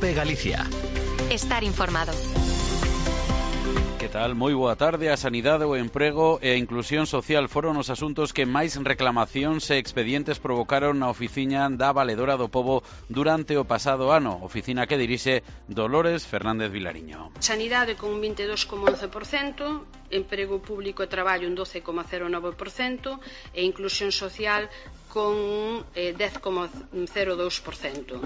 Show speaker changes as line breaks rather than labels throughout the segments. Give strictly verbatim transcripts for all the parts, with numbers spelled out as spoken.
COPE Galicia.
Estar informado.
Que tal? Moi boa tarde. A sanidade, o emprego e a inclusión social foron os asuntos que máis reclamacións e expedientes provocaron na oficina da Valedora do Pobo durante o pasado ano, oficina que dirixe Dolores Fernández Vilariño.
Sanidade con un vinte e dous coma once por cento, emprego público e traballo un doce coma cero nove por cento e inclusión social con eh, dez coma cero dous por cento.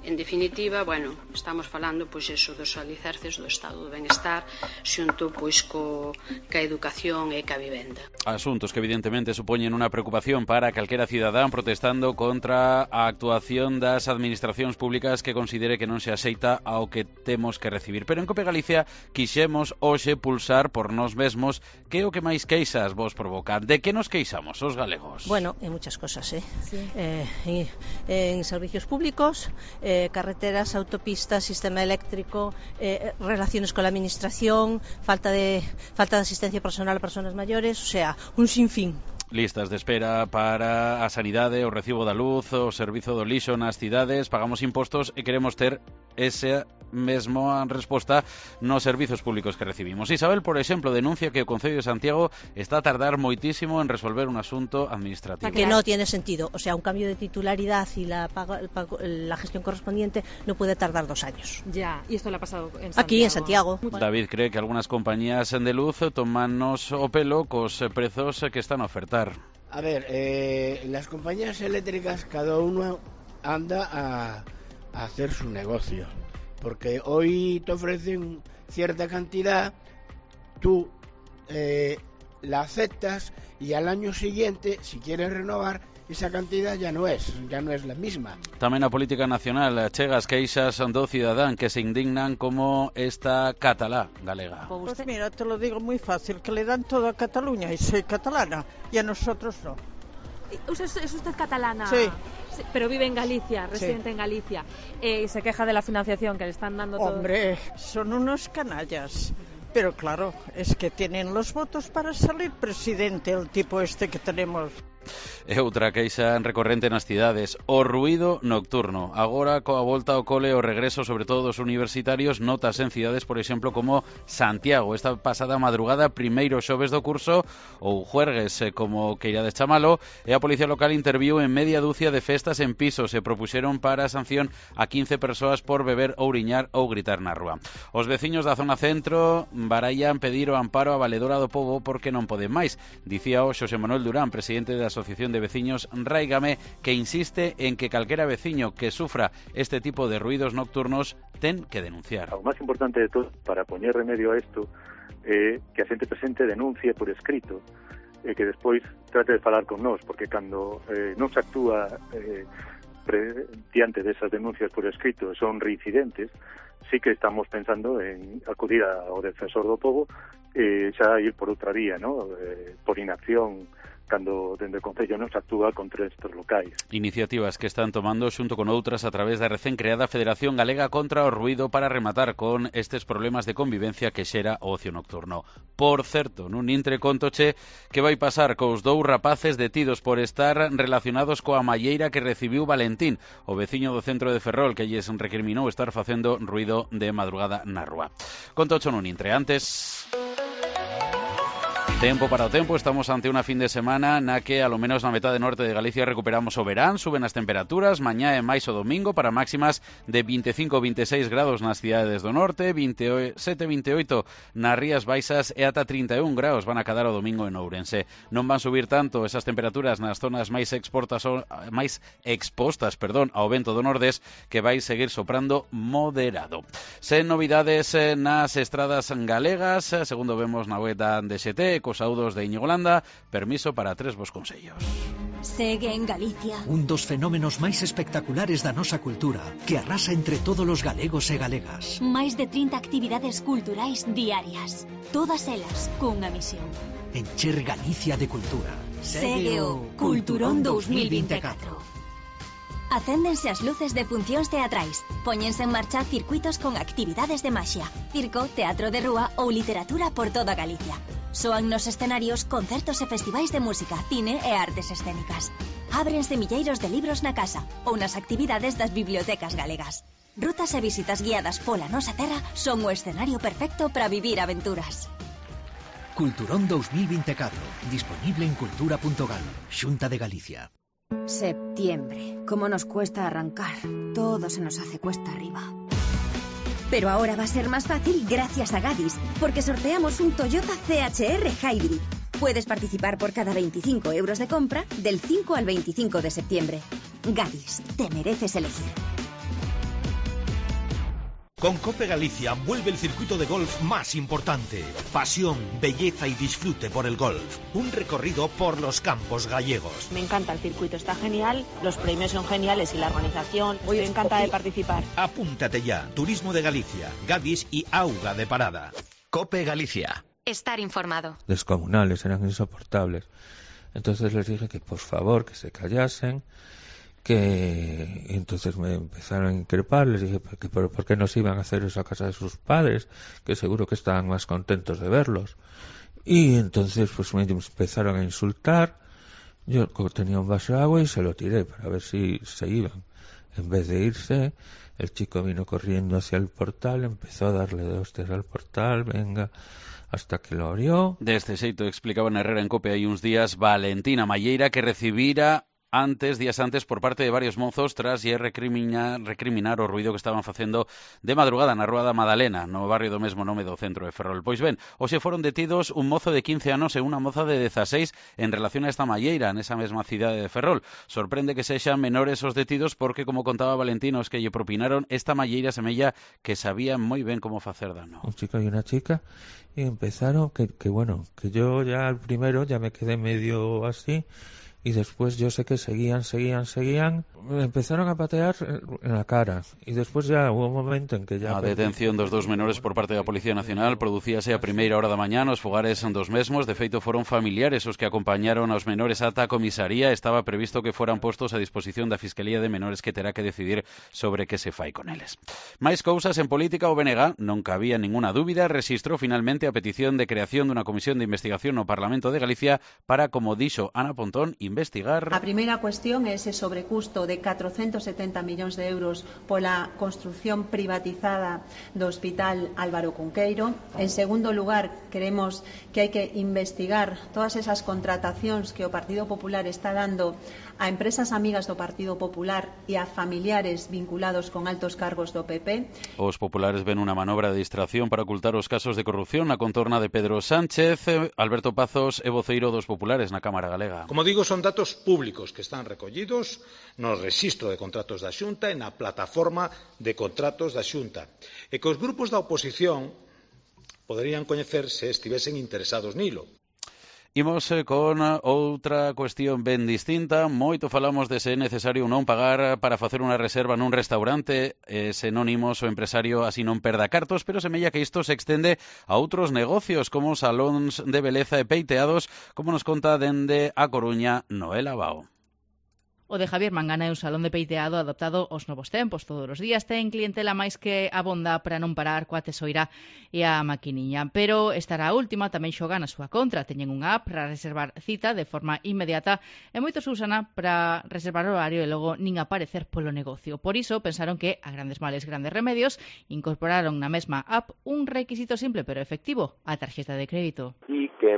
En definitiva, bueno, estamos falando pois eso dos alicerces do estado do benestar xunto pois co ca educación e ca vivenda.
Asuntos que evidentemente supoñen unha preocupación para calquera cidadán protestando contra a actuación das administracións públicas que considere que non se axeita ao que temos que recibir. Pero en COPE Galicia quixemos hoxe pulsar por nós mesmos que é o que máis queixas vos provocan. De que nos queixamos os galegos?
Bueno, en muchas cosas, eh. Sí. Eh, en, en servicios públicos, eh, carreteras, autopistas, sistema eléctrico, eh, relaciones con la administración, falta de falta de asistencia personal a personas mayores, o sea, un sinfín.
Listas de espera para a sanidade, o recibo da luz, o servizo do lixo nas cidades, pagamos impostos e queremos ter esa mesma resposta nos servizos públicos que recibimos. Isabel, por exemplo, denuncia que o Concello de Santiago está a tardar moitísimo en resolver un asunto administrativo.
Que no tiene sentido, o sea, un cambio de titularidad y la, pago, el pago, la gestión correspondiente no puede tardar dos años.
Ya, y esto le ha pasado en Santiago.
Aquí, en Santiago.
David cree que algunas compañías de luz tomannos o pelo cos prezos que están a ofertar.
A ver, eh, las compañías eléctricas cada uno anda a, a hacer su negocio, porque hoy te ofrecen cierta cantidad, tú eh, la aceptas y al año siguiente, si quieres renovar, esa cantidad ya no es, ya no es la misma.
Tamén a política nacional chega as queixas do cidadán que se indignan como esta catalá galega.
Pues mira, te lo digo muy fácil, que le dan todo a Cataluña y soy catalana y a nosotros no.
¿Es, es usted catalana?
Sí.
Sí, pero vive en Galicia, residente sí. en Galicia. Eh, se queja de la financiación que le están dando todo.
Hombre, son unos canallas. Pero claro, es que tienen los votos para salir presidente, el tipo este que tenemos.
E outra queixa recorrente nas cidades, o ruído nocturno. Agora, coa volta ao cole, o regreso, sobre todo dos universitarios, notas en cidades, por exemplo, como Santiago. Esta pasada madrugada, primeiro xoves do curso, ou juergues, como queirades chamalo, e a Policía Local interviu en media dúcia de festas en pisos e propuxeron para a sanción a quince persoas por beber, ouriñar ou gritar na rúa. Os veciños da zona centro barallan pedir o amparo a Valedora do Pobo porque non poden máis. Dicía o Xosé Manuel Durán, presidente da Asociación de Veciños Ráigame, que insiste en que calquera veciño que sufra este tipo de ruidos nocturnos ten que denunciar.
O máis importante de todo para poñer remedio a isto é eh, que a xente presente denuncie por escrito e eh, que despois trate de falar con nós, porque cando eh, non se actúa eh, pre, diante desas denuncias por escrito son reincidentes, sí que estamos pensando en acudir ao defensor do pobo e eh, xa ir por outra vía, ¿no? eh, por inacción, cando dende o Concello non se actúa contra estes locais.
Iniciativas que están tomando xunto con outras a través da recén creada Federación Galega contra o Ruido para rematar con estes problemas de convivencia que xera o ocio nocturno. Por certo, nun intre contoche que vai pasar cos dous rapaces detidos por estar relacionados coa malleira que recibiu Valentín, o veciño do centro de Ferrol, que lles recriminou estar facendo ruido de madrugada na rúa. Contocho nun intre. Antes... Tempo para o tempo, estamos ante unha fin de semana na que, alo menos na metade norte de Galicia, recuperamos o verán, suben as temperaturas, mañá e máis o domingo para máximas de vinte e cinco a vinte e seis grados nas cidades do norte, veintisiete a vinte e oito nas Rías Baixas e ata trinta e un grados van a cadar o domingo en Ourense. Non van subir tanto esas temperaturas nas zonas máis exportas máis expostas, perdón, ao vento do nordés, que vai seguir soprando moderado. Sen novidades nas estradas galegas, segundo vemos na web da D X T, saudos de Íñigo Landa, permiso para tres vos consellos.
Segue en Galicia
un dos fenómenos máis espectaculares da nosa cultura, que arrasa entre todos os galegos e galegas.
Máis de trinta actividades culturais diarias, todas elas cunha misión:
encher Galicia de cultura.
Segue o Culturón dous mil vinte e catro. Acéndense as luces de funcións teatrais, póñense en marcha circuitos con actividades de maxia, circo, teatro de rúa ou literatura por toda Galicia. Soan nos escenarios concertos e festivais de música, cine e artes escénicas. Ábrense milleiros de libros na casa ou nas actividades das bibliotecas galegas. Rutas e visitas guiadas pola nosa terra son o escenario perfecto para vivir aventuras.
Culturón dos mil vinte e catro, disponible en cultura punto gal, Xunta de Galicia.
Septiembre. ¿Cómo nos cuesta arrancar? Todo se nos hace cuesta arriba.
Pero ahora va a ser más fácil gracias a Gadis, porque sorteamos un Toyota C H R Hybrid. Puedes participar por cada veinticinco euros de compra del cinco al veinticinco de septiembre. Gadis, te mereces elegir.
Con Cope Galicia vuelve el circuito de golf más importante. Pasión, belleza y disfrute por el golf. Un recorrido por los campos gallegos.
Me encanta el circuito, está genial, los premios son geniales y la organización. Estoy encantada de participar.
Apúntate ya. Turismo de Galicia, Gadis y Auga de Parada. Cope Galicia.
Estar informado.
Descomunales, eran insoportables. Entonces les dije que por favor que se callasen, que entonces me empezaron a increpar, les dije que por, por qué no se iban a hacer eso a casa de sus padres, que seguro que estaban más contentos de verlos. Y entonces pues me empezaron a insultar. Yo tenía un vaso de agua y se lo tiré para ver si se iban. En vez de irse, el chico vino corriendo hacia el portal, empezó a darle de hostias al portal, venga, hasta que lo abrió.
Deste xeito explicaba en Herrera en Cope hai uns días Valentina Malleira, que recibira antes, días antes, por parte de varios mozos tras lle recriminar, recriminar o ruido que estaban facendo de madrugada na Rúa da Madalena, no barrio do mesmo nome do centro de Ferrol. Pois ben, hoxe foron detidos un mozo de quince anos e unha moza de dezaseis en relación a esta malleira nesa mesma cidade de Ferrol. Sorprende que sexan menores os detidos porque, como contaba Valentino, os que lle propinaron esta malleira semella que sabían moi ben como facer dano.
Un chico y una chica, y empezaron, que, que bueno, que yo ya al primero ya me quedé medio así. Y después yo sé que seguían, seguían, seguían, empezaron a patear en la cara. Y después ya hubo un momento en que ya...
A detención dos dos menores por parte da Policía Nacional producíase a primeira hora da mañá nos fogares dos mesmos. De feito, foron familiares os que acompañaron aos menores ata a comisaría. Estaba previsto que foran postos a disposición da Fiscalía de Menores, que terá que decidir sobre que se fai con eles. Máis cousas en política. O B N G, non cabía ninguna dúbida, rexistrou finalmente a petición de creación dunha comisión de investigación no Parlamento de Galicia para, como dixo Ana Pontón, investigar.
A primeira cuestión é ese sobrecusto de catrocentos setenta millóns de euros pola construción privatizada do Hospital Álvaro Cunqueiro. En segundo lugar, queremos que hai que investigar todas esas contratacións que o Partido Popular está dando a empresas amigas do Partido Popular e a familiares vinculados con altos cargos do P P.
Os populares ven unha manobra de distracción para ocultar os casos de corrupción na contorna de Pedro Sánchez. Alberto Pazos é voceiro dos populares na Cámara Galega.
Como digo, son datos públicos que están recollidos no rexistro de contratos da Xunta e na plataforma de contratos da Xunta, e que os grupos da oposición poderían coñecer se estivesen interesados nilo.
Imos con outra cuestión ben distinta. Moito falamos de se é necesario non pagar para facer unha reserva nun restaurante, eh, sinónimos o empresario así non perda cartos, pero semella que isto se extende a outros negocios como salóns de beleza e peiteados, como nos conta dende A Coruña Noela Bao.
O de Javier Mangana é un salón de peiteado adaptado aos novos tempos. Todos os días ten clientela máis que abonda para non parar coa tesoira e a maquiniña. Pero estará a última tamén xoga na súa contra. Teñen unha app para reservar cita de forma inmediata e moitos usan para reservar horario e logo nin aparecer polo negocio. Por iso pensaron que, a grandes males, grandes remedios, incorporaron na mesma app un requisito simple pero efectivo, a tarxeta de crédito.
Y que...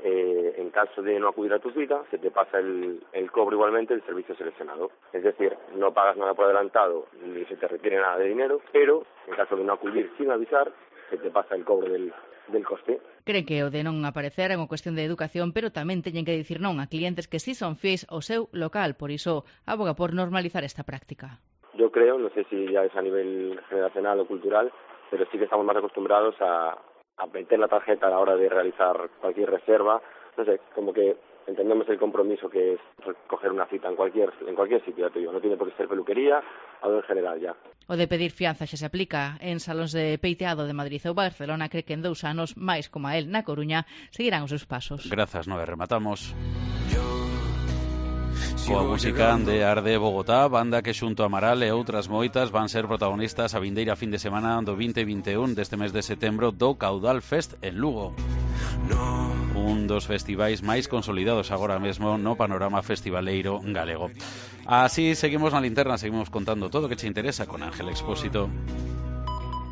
Eh, en caso de no acudir a tu cita, se te pasa el, el cobro igualmente del servicio seleccionado. Es decir, no pagas nada por adelantado ni se te requiere nada de dinero, pero en caso de no acudir sin avisar, se te pasa el cobro del, del coste.
Creen que o de non aparecer é unha cuestión de educación, pero tamén teñen que dicir non a clientes que sí son fiéis ao seu local. Por iso, aboga por normalizar esta práctica.
Yo creo, no sé si ya es a nivel generacional o cultural, pero sí que estamos más acostumbrados a a meter la tarjeta a la hora de realizar cualquier reserva. No sé, como que entendemos el compromiso que es coger una cita en cualquier en cualquier sitio, ya te digo, no tiene por qué ser peluquería, algo en general ya.
O de pedir fianza xa se aplica en salóns de peiteado de Madrid ou Barcelona. Cree que en dous anos, máis como a él na Coruña, seguirán os seus pasos.
Grazas, Noé, rematamos coa música de Arde Bogotá, banda que xunto a Amaral e outras moitas van ser protagonistas a vindeira fin de semana do vinte e vinte e un deste mes de setembro do Caudal Fest en Lugo. un dos festivais máis consolidados agora mesmo no panorama festivaleiro galego. Así seguimos na linterna, seguimos contando todo o que che interesa con Ángel Expósito.